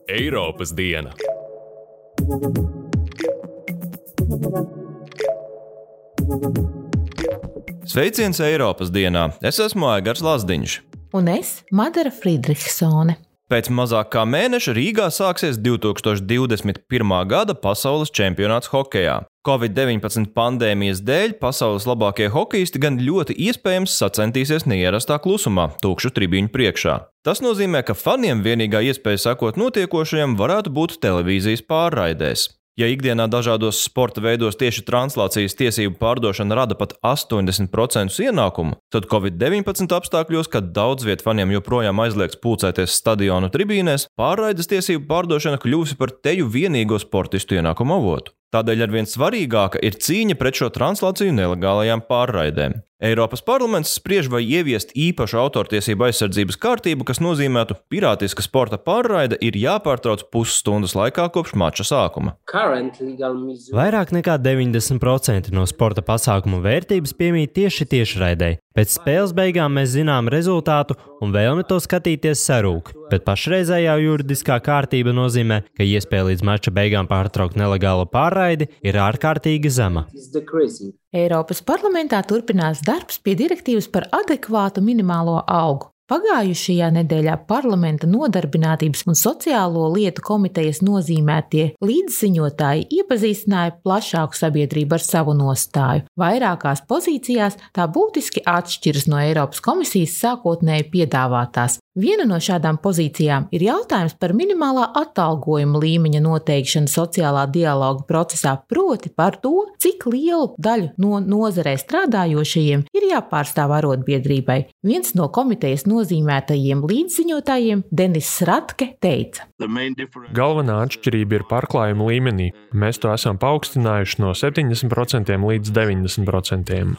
Eiropas diena. Sveiciens Eiropas dienā! Es esmu Aigars Lazdiņš. Un es, Madara Friedrichsone. Pēc mazāk kā mēneša Rīgā sāksies 2021. gada pasaules čempionāts hokejā. Covid-19 pandēmijas dēļ pasaules labākie hokejisti gan ļoti iespējams sacentīsies neierastā klusumā, tukšu tribīņu priekšā. Tas nozīmē, ka faniem vienīgā iespēja sekot notiekošajam varētu būt televīzijas pārraidēs. Ja ikdienā dažādos sporta veidos tieši translācijas tiesību pārdošana rada pat 80% ienākumu, tad Covid-19 apstākļos, kad daudz viet faniem joprojām aizliegts pulcēties stadionu tribīnēs, pārraides tiesību pārdošana kļūsi par teju vienīgo sportistu ienākumu avotu. Tādēļ arvien svarīgāka ir cīņa pret šo translāciju nelegālajām pārraidēm. Eiropas parlaments spriež, vai ieviest īpašu autortiesību aizsardzības kārtību, kas nozīmētu, pirātiska sporta pārraide ir jāpārtrauc pusstundas laikā kopš mača sākuma. Vairāk nekā 90% no sporta pasākumu vērtības piemīt tieši tiešraidei. Pēc spēles beigām mēs zinām rezultātu un vēlme to skatīties sarūk, bet pašreizējā juridiskā kārtība nozīmē, ka iespēja līdz mača beigām pārtraukt nelegālo pārraidi ir ārkārtīgi zema. Eiropas parlamentā turpinās darbs pie direktīvas par adekvātu minimālo algu. Pagājušajā nedēļā parlamenta nodarbinātības un sociālo lietu komitejas nozīmētie līdziņotāji iepazīstināja plašāku sabiedrību ar savu nostāju. Vairākās pozīcijās tā būtiski atšķiras no Eiropas komisijas sākotnēji piedāvātās. Viena no šādām pozīcijām ir jautājums par minimālā atalgojuma līmeņa noteikšanu sociālā dialoga procesā, proti par to, cik lielu daļu no nozarē strādājošajiem ir jāpārstāv arotbiedrībai. Viens no komitejas nozīmētajiem līdziņotājiem, Denis Ratke, teica: Galvenā atšķirība ir pārklājuma līmenī. Mēs to esam paaugstinājuši no 70% līdz 90%.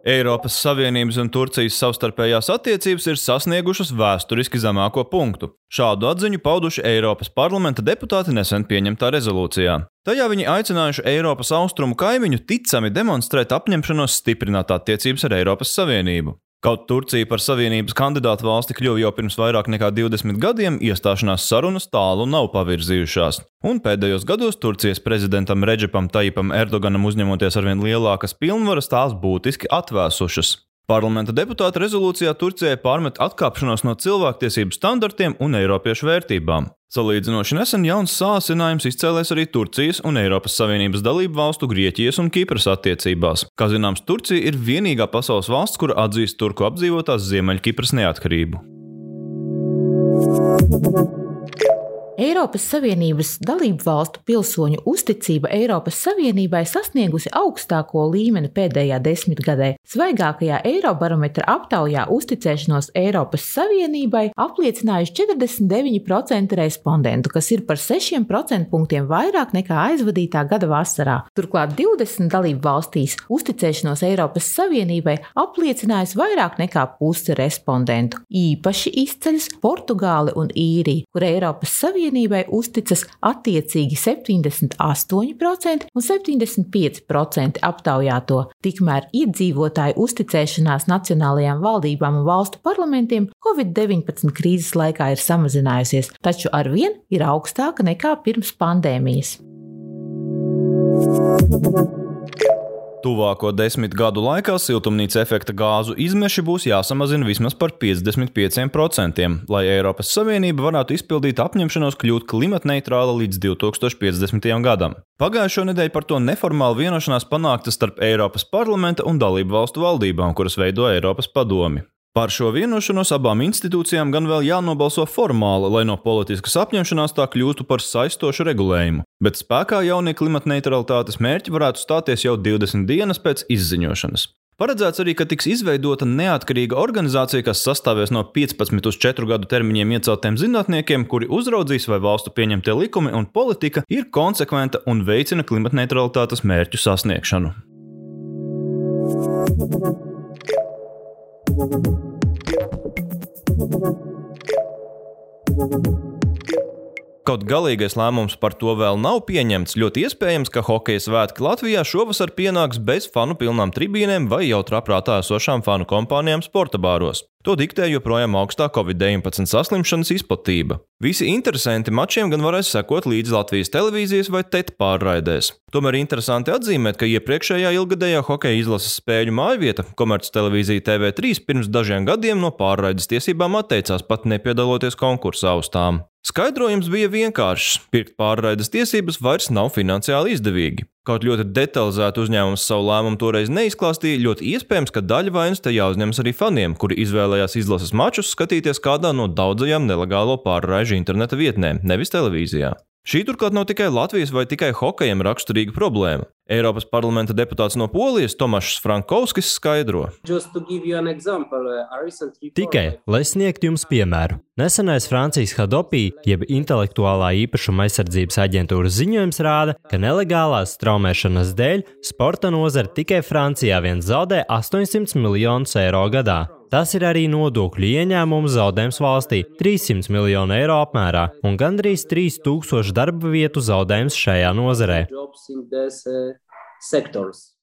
Eiropas Savienības un Turcijas savstarpējās attiecības ir sasniegušas vēsturiski zemāko punktu. Šādu atziņu pauduši Eiropas parlamenta deputāti nesen pieņemtā rezolūcijā. Tajā viņi aicinājuši Eiropas austrumu kaimiņu ticami demonstrēt apņemšanos stiprināt attiecības ar Eiropas Savienību. Kaut Turcija par Savienības kandidātu valsti kļuva jau pirms vairāk nekā 20 gadiem, iestāšanās sarunas tālu nav pavirzījušās. Un pēdējos gados Turcijas prezidentam Redžepam Tajipam Erdoganam uzņemoties arvien lielākas pilnvaras, tās būtiski atvēsušas. Parlamenta deputāti rezolūcijā Turcijai pārmet atkāpšanos no cilvēktiesību standartiem un eiropiešu vērtībām. Salīdzinoši nesen jauns sāsinājums izcēlēs arī Turcijas un Eiropas Savienības dalību valstu Grieķijas un Kipras attiecībās. Kā zināms, Turcija ir vienīgā pasaules valsts, kura atzīst turku apdzīvotās Ziemeļkipras neatkarību. Eiropas Savienības dalību valstu pilsoņu uzticība Eiropas Savienībai sasniegusi augstāko līmeni pēdējā desmitgadē. Svaigākajā Eirobarometra aptaujā uzticēšanos Eiropas Savienībai apliecinājuši 49% respondentu, kas ir par 6% punktiem vairāk nekā aizvadītā gada vasarā. Turklāt 20 dalību valstīs uzticēšanos Eiropas Savienībai apliecinājusi vairāk nekā pusi respondentu. Īpaši izceļas Portugāli un Īrija, kur Eiropas Savienībai uzticas attiecīgi 78% un 75% aptaujāto. Tikmēr iedzīvotāju uzticēšanās nacionālajām valdībām un valstu parlamentiem Covid-19 krīzes laikā ir samazinājusies, taču arvien ir augstāka nekā pirms pandēmijas. Tuvāko 10 gadu laikā siltumnīca efekta gāzu izmeši būs jāsamazina vismaz par 55%, lai Eiropas Savienība varētu izpildīt apņemšanos kļūt klimatneitrāla līdz 2050. gadam. Pagājušo nedēļu par to neformāli vienošanās panākta starp Eiropas parlamenta un dalību valstu valdībām, kuras veido Eiropas padomi. Par šo vienošanos abām institūcijām gan vēl jānobalso formāli, lai no politiskas apņemšanās tā kļūtu par saistošu regulējumu, bet spēkā jaunie klimatneitralitātes mērķi varētu stāties jau 20 dienas pēc izziņošanas. Paredzēts arī, ka tiks izveidota neatkarīga organizācija, kas sastāvēs no 15 uz 4 gadu termiņiem ieceltiem zinātniekiem, kuri uzraudzīs, vai valstu pieņemtie likumi un politika ir konsekventa un veicina klimatneitralitātes mērķu sasniegšanu. Kaut galīgais lēmums par to vēl nav pieņemts, ļoti iespējams, ka hokeja svētki Latvijā šovasar pienāks bez fanu pilnām tribīnēm vai jau trāprātā esošām fanu kompānijām sporta bāros. To diktē joprojām augstā Covid-19 saslimšanas izplatība. Visi interesanti mačiem gan varēs sekot līdz Latvijas televīzijas vai TET pārraidēs. Tomēr interesanti atzīmēt, ka iepriekšējā ilgadējā hokeja izlases spēļu mājvieta, komerctelevīzija TV3, pirms dažiem gadiem no pārraides tiesībām atteicās, pat nepiedaloties konkursa austām. Skaidrojums bija vienkāršs – pirkt pārraides tiesības vairs nav finansiāli izdevīgi. Kaut ļoti detalizēti uzņēmums savu lēmumu toreiz neizklāstīja, ļoti iespējams, ka daļa vainas te jāuzņemas arī faniem, kuri izvēlējās izlases mačus skatīties kādā no daudzajām nelegālo pārraižu interneta vietnēm, nevis televīzijā. Šī turklāt nav tikai Latvijas vai tikai hokejam raksturīga problēma. Eiropas parlamenta deputāts no Polijas Tomašs Frankovskis skaidro. Tikai, lai sniegtu jums piemēru. Nesenais Francijas Hadopi, jeb intelektuālā īpašuma aizsardzības aģentūras ziņojums rāda, ka nelegālās straumēšanas dēļ sporta nozare tikai Francijā vien zaudē 800 miljonus eiro gadā. Tas ir arī nodokļu ieņēmumu zaudējums valstī – 300 miljonu eiro apmērā un gandrīz 3000 darba vietu zaudējums šajā nozarē.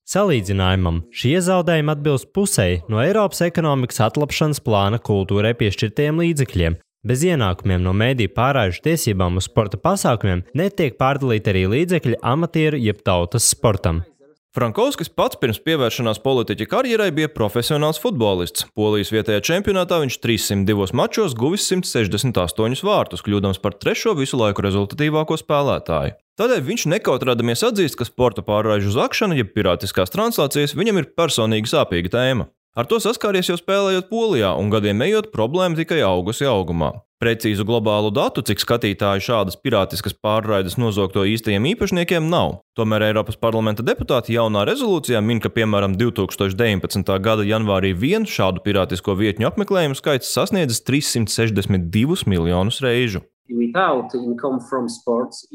Salīdzinājumam, šie zaudējumi atbilst pusei no Eiropas ekonomikas atlapšanas plāna kultūrai piešķirtajiem līdzekļiem. Bez ienākumiem no mediju pārraižu tiesībām uz sporta pasākumiem netiek pārdalīti arī līdzekļi amatieru jeb tautas sportam. Frankovskis pats pirms pievēršanās politiķa karjerai bija profesionāls futbolists. Polijas vietējā čempionātā viņš 302 mačos guvis 168 vārtus, kļūdams par 3. visu laiku rezultatīvāko spēlētāju. Tādēļ viņš nekautrēdamies atzīst, ka sporta pārraižu zakšana, jeb pirātiskās translācijas, viņam ir personīgi sāpīga tēma. Ar to saskāries jau spēlējot Polijā, un gadiem ejot problēma tikai augusi augumā. Precīzu globālu datu, cik skatītāji šādas pirātiskas pārraides nozogto īstajiem īpašniekiem nav. Tomēr Eiropas parlamenta deputāti jaunā rezolūcijā min, ka piemēram 2019. gada janvārī vien šādu pirātisko vietņu apmeklējumu skaits sasniedzis 362 miljonus reižu.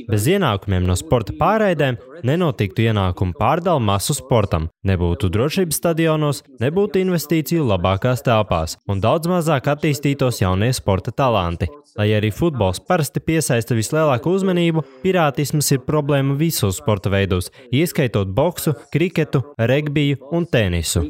Bez ienākumiem no sporta pārraidēm nenotiktu ienākumu pārdala masu sportam, nebūtu drošības stadionos, nebūtu investīciju labākās telpās un daudz mazāk attīstītos jaunie sporta talanti. Lai arī futbols parasti piesaista vislielāko uzmanību, pirātisms ir problēma visos sporta veidos, ieskaitot boksu, kriketu, regbiju un tenisu.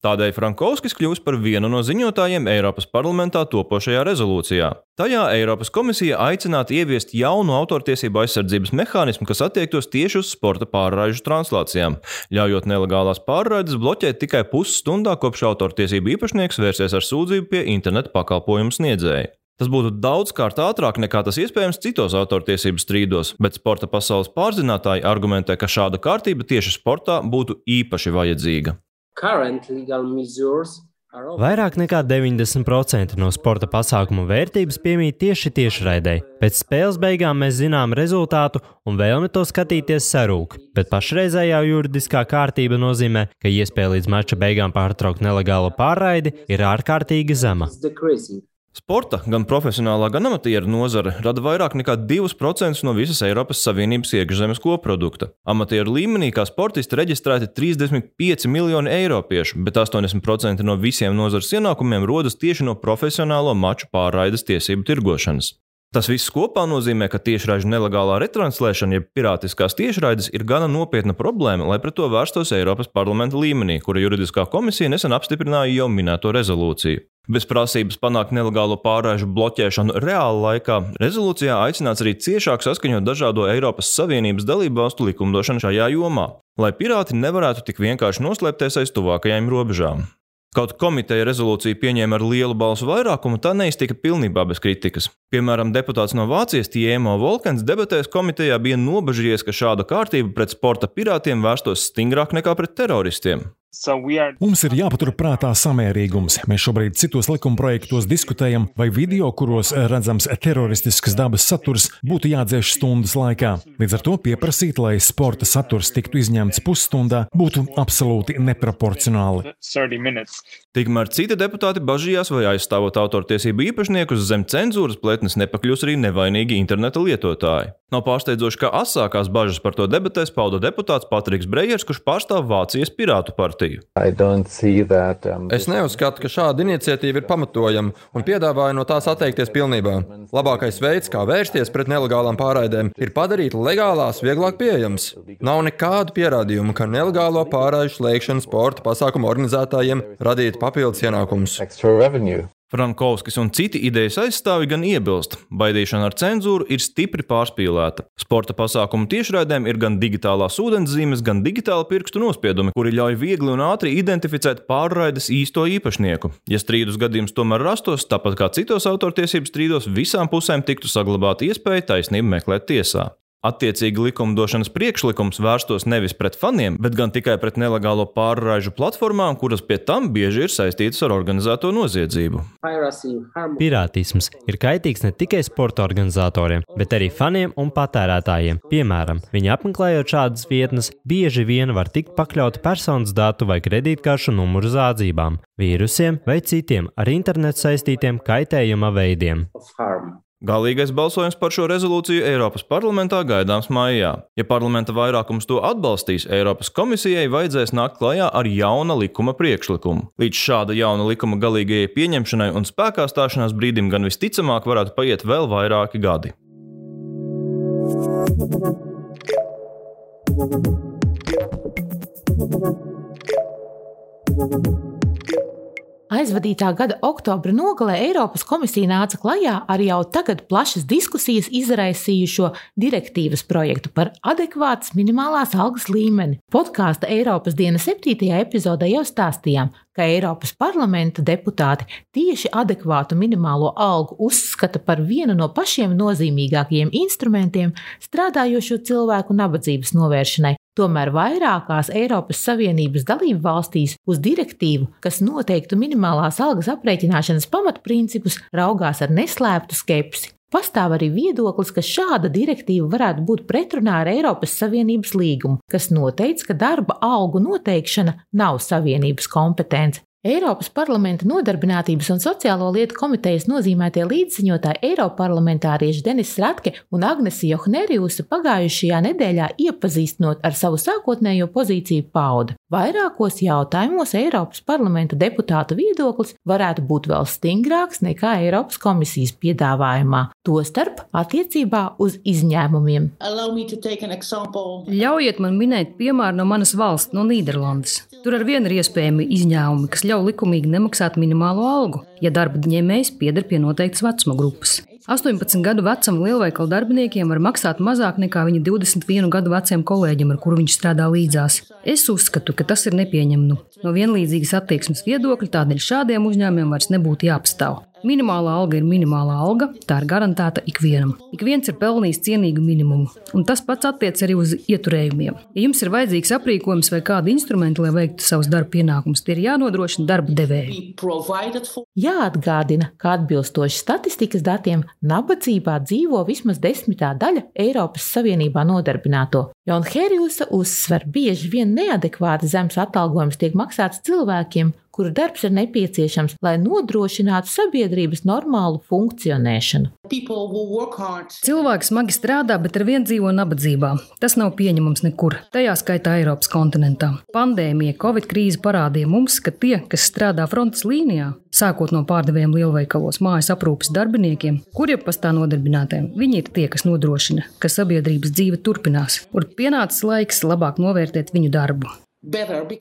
Tādēļ Frankovskis kļūs par vienu no ziņotājiem Eiropas parlamentā topošajā rezolūcijā. Tajā Eiropas komisija aicinātu ieviest jaunu autortiesību aizsardzības mehānismu, kas attiektos tieši uz sporta pārraižu translācijām, ļaujot nelegālās pārraides bloķēt tikai pusstundā, kopš autortiesību īpašnieks vērsies ar sūdzību pie interneta pakalpojumu sniedzēja. Tas būtu daudzkārt ātrāk nekā tas iespējams citos autortiesību strīdos, bet sporta pasaules pārzinātāji argumentē, ka šāda kārtība tieši sportā būtu īpaši vajadzīga. Vairāk nekā 90% no sporta pasākumu vērtības piemīt tieši tiešraidei. Pēc spēles beigām mēs zinām rezultātu un vēlme to skatīties sarūk, bet pašreizējā juridiskā kārtība nozīmē, ka iespēja līdz mača beigām pārtraukt nelegālo pārraidi ir ārkārtīgi zema. Sporta, gan profesionālā, gan amatieru nozare rada vairāk nekā 2% no visas Eiropas Savienības iekšzemes koprodukta. Amatieru līmenī kā sportisti reģistrēti 35 miljoni eiropiešu, bet 80% no visiem nozares ienākumiem rodas tieši no profesionālo maču pārraides tiesību tirgošanas. Tas viss kopā nozīmē, ka tiešraižu nelegālā retranslēšana, jeb pirātiskās tiešraides, ir gana nopietna problēma, lai pret to vērstos Eiropas parlamenta līmenī, kura juridiskā komisija nesen apstiprināja jau minēto rezolūciju. Bez prasības panākt nelegālo pārraižu bloķēšanu reāla laikā, rezolūcijā aicināts arī ciešāk saskaņot dažādo Eiropas Savienības dalībvalstu likumdošanu šajā jomā, lai pirāti nevarētu tik vienkārši noslēpties aiz tuvākajām robežām. Kaut komiteja rezolūciju pieņēma ar lielu balsu vairākumu, tā neiztika pilnībā bez kritikas. Piemēram, deputāts no Vācijas Tiemo Volkens debatēs komitejā bija nobažījies, ka šāda kārtība pret sporta pirātiem vērstos stingrāk nekā pret teroristiem. Mums ir jāpatur prātā samērīgums. Mēs šobrīd citos likumprojektos diskutējam, vai video, kuros redzams teroristiskas dabas saturs, būtu jādzēš stundas laikā. Līdz ar to pieprasīt, lai sporta saturs tiktu izņemts pusstundā, būtu absolūti neproporcionāli. Tikmēr citi deputāti bažījās, vai aizstāvot autortiesību īpašniekus zem cenzūras pletnes nepakļūs arī nevainīgi interneta lietotāji. Nav pārsteidzoši, ka asākās bažas par to debatēs pauda deputāts Patriks Brejers, kurš pārstāv Vācijas Pirātu partiju. Es neuzskatu, ka šāda iniciatīva ir pamatojama un piedāvāju no tās atteikties pilnībā. Labākais veids, kā vērsties pret nelegālām pārraidēm, ir padarīt legālās vieglāk pieejamas. Nav nekādu pierādījumu, ka nelegālo pārraižu slēgšana sporta pasākumu organizētājiem radītu papildus ienākumus. Frankovskis un citi idejas aizstāvi gan iebilst. Baidīšana ar cenzūru ir stipri pārspīlēta. Sporta pasākumu tiešraidēm ir gan digitālās ūdenszīmes, gan digitāli pirkstu nospiedumi, kuri ļauj viegli un ātri identificēt pārraides īsto īpašnieku. Ja strīdus gadījums tomēr rastos, tāpat kā citos autortiesības strīdos, visām pusēm tiktu saglabāta iespēja taisnību meklēt tiesā. Attiecīgi likumdošanas priekšlikums vērstos nevis pret faniem, bet gan tikai pret nelegālo pārraižu platformām, kuras pie tam bieži ir saistītas ar organizēto noziedzību. Pirātisms ir kaitīgs ne tikai sporta organizatoriem, bet arī faniem un patērētājiem. Piemēram, viņi apmeklējot šādas vietnes, bieži vien var tikt pakļauti personas datu vai kredītkaršu numuru zādzībām, vīrusiem vai citiem ar internetu saistītiem kaitējuma veidiem. Galīgais balsojums par šo rezolūciju Eiropas parlamentā gaidāms maijā. Ja parlamenta vairākums to atbalstīs, Eiropas komisijai vajadzēs nākt klajā ar jauna likuma priekšlikumu. Līdz šāda jauna likuma galīgajai pieņemšanai un spēkā stāšanās brīdim gan visticamāk varētu paiet vēl vairāki gadi. Aizvadītā gada oktobra nogalē Eiropas komisija nāca klajā ar jau tagad plašas diskusijas izraisījušo direktīvas projektu par adekvātas minimālās algas līmeni. Podkāsta Eiropas diena 7. epizodē jau stāstījām, ka Eiropas parlamenta deputāti tieši adekvātu minimālo algu uzskata par vienu no pašiem nozīmīgākajiem instrumentiem strādājošo cilvēku nabadzības novēršanai. Tomēr vairākās Eiropas Savienības dalību valstīs uz direktīvu, kas noteiktu minimālās algas aprēķināšanas pamatprincipus, raugās ar neslēptu skepsi. Pastāv arī viedoklis, ka šāda direktīva varētu būt pretrunā ar Eiropas Savienības līgumu, kas noteic, ka darba algu noteikšana nav Savienības kompetence. Eiropas parlamenta nodarbinātības un sociālo lietu komitejas nozīmētie līdziņotāji eiroparlamentārieši Denis Ratke un Agnese Johnerijuse pagājušajā nedēļā iepazīstinot ar savu sākotnējo pozīciju pauda. Vairākos jautājumos Eiropas parlamenta deputātu viedoklis varētu būt vēl stingrāks nekā Eiropas komisijas piedāvājumā, tostarp attiecībā uz izņēmumiem. Ļaujiet man minēt piemēru no manas valsts, no Nīderlandes. Tur arvien ir iespējami izņēmumi, kas ļauj likumīgi nemaksāt minimālo algu, ja darba ņēmējs pieder pie noteiktas vecuma grupas. 18 gadu vecam lielveikalu darbiniekiem var maksāt mazāk nekā viņa 21 gadu veciem kolēģim, ar kuru viņš strādā līdzās. Es uzskatu, ka tas ir nepieņemami. No vienlīdzīgas attieksmes viedokļa tādēļ šādiem uzņēmumiem vairs nebūtu jāpastāv. Minimālā alga ir minimālā alga, tā ir garantēta ikvienam. Ik viens ir pelnījis cienīgu minimumu, un tas pats attiec arī uz ieturējumiem. Ja jums ir vajadzīgs aprīkojums vai kādi instrumenti, lai veiktu savus darba pienākumus, tie ir jānodrošina darba devēji. Jāatgādina, ka atbilstoši statistikas datiem nabadzībā dzīvo vismaz 10. daļa Eiropas Savienībā nodarbināto. Johnerijuse uzsver, bieži vien neadekvāti zems atalgojums tiek maksāts cilvēkiem, kuru darbs ir nepieciešams, lai nodrošinātu sabiedrības normālu funkcionēšanu. Cilvēki smagi strādā, bet arvien dzīvo nabadzībā. Tas nav pieņemams nekur, tajā skaitā Eiropas kontinentā. Pandēmija, Covid krīze parādīja mums, ka tie, kas strādā frontes līnijā, sākot no pārdevējiem lielveikalos, mājas aprūpes darbiniekiem, kuriem pastāv nodarbinātiem, viņi ir tie, kas nodrošina, ka sabiedrības dzīve turpinās, un pienācis laiks labāk novērtēt viņu darbu.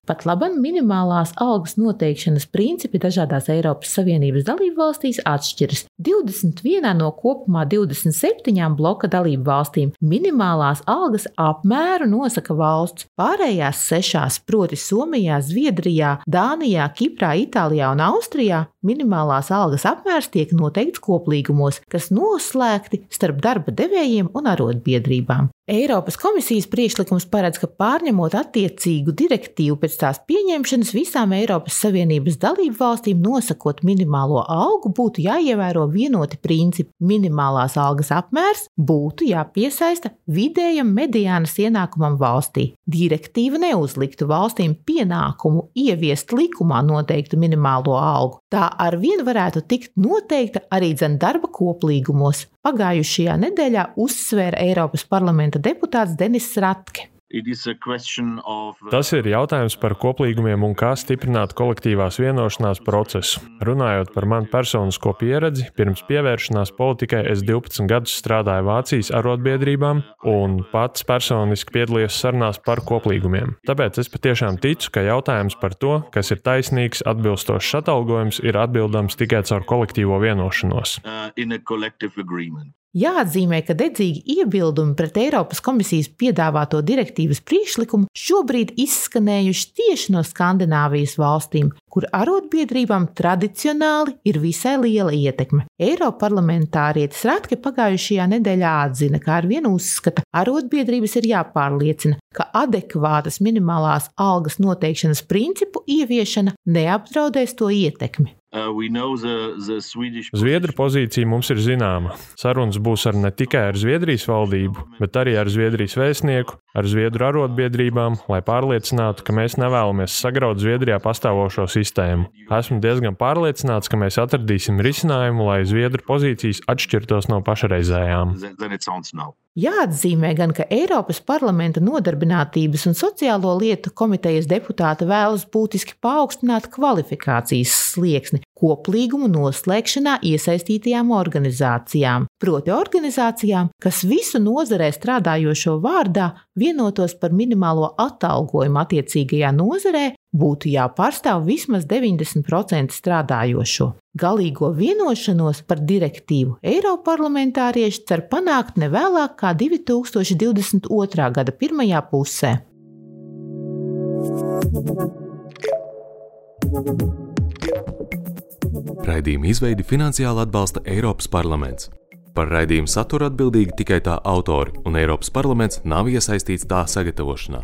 Pat labam minimālās algas noteikšanas principi dažādās Eiropas Savienības dalību valstīs atšķiras. 21 no kopumā 27 bloka dalību valstīm minimālās algas apmēru nosaka valsts. Pārējās 6, proti Somijā, Zviedrijā, Dānijā, Kiprā, Itālijā un Austrijā, minimālās algas apmērs tiek noteikts koplīgumos, kas noslēgti starp darba devējiem un arotbiedrībām. Eiropas komisijas priekšlikums paredz, ka pārņemot attiecīgu direktīvu pēc tās pieņemšanas visām Eiropas Savienības dalību valstīm nosakot minimālo algu būtu jāievēro vienoti principi. Minimālās algas apmērs būtu jāpiesaista vidējam mediānas ienākumam valstī. Direktīva neuzliktu valstīm pienākumu ieviest likumā noteiktu minimālo algu. Tā arvien varētu tikt noteikta arī darba koplīgumos. Pagājušajā nedēļā uzsvēra Eiropas parlamenta deputāts Denis Ratke. Tas ir jautājums par koplīgumiem un kā stiprināt kolektīvās vienošanās procesu. Runājot par manu personisko pieredzi, pirms pievēršanās politikai es 12 gadus strādāju Vācijas arotbiedrībām un pats personiski piedalījos sarunās par koplīgumiem. Tāpēc es patiešām ticu, ka jautājums par to, kas ir taisnīgs, atbilstošs atalgojums, ir atbildams tikai caur kolektīvo vienošanos. Jāatzīmē, ka dedzīgi iebildumi pret Eiropas komisijas piedāvāto direktīvas priekšlikumu šobrīd izskanējuši tieši no Skandināvijas valstīm, kur arotbiedrībām tradicionāli ir visai liela ietekme. Eiroparlamentārietis Ratke pagājušajā nedēļā atzina, ka arvien uzskata, arotbiedrības ir jāpārliecina, ka adekvātas minimālās algas noteikšanas principu ieviešana neapdraudēs to ietekmi. Zviedru pozīcija mums ir zināma. Sarunas būs ne tikai ar Zviedrijas valdību, bet arī ar Zviedrijas vēstnieku, ar Zviedru arotbiedrībām, lai pārliecinātu, ka mēs nevēlamies sagraut Zviedrijā pastāvošo sistēmu. Esmu diezgan pārliecināts, ka mēs atradīsim risinājumu, lai Zviedru pozīcijas atšķirtos no pašreizējām. Jāatzīmē gan, ka Eiropas parlamenta nodarbinātības un sociālo lietu komitejas deputāti vēlas būtiski paaugstināt kvalifikācijas slieksni koplīgumu noslēgšanā iesaistītajām organizācijām, proti organizācijām, kas visu nozarē strādājošo vārdā vienotos par minimālo atalgojumu attiecīgajā nozarē, būtu jāpārstāv vismaz 90% strādājošo. Galīgo vienošanos par direktīvu eiroparlamentārieši cer panākt nevēlāk kā 2022. Gada pirmajā pusē. Raidījuma izveidi finansiāli atbalsta Eiropas parlaments. Par raidījumu saturu atbildīgi tikai tā autori, un Eiropas parlaments nav iesaistīts tā sagatavošanā.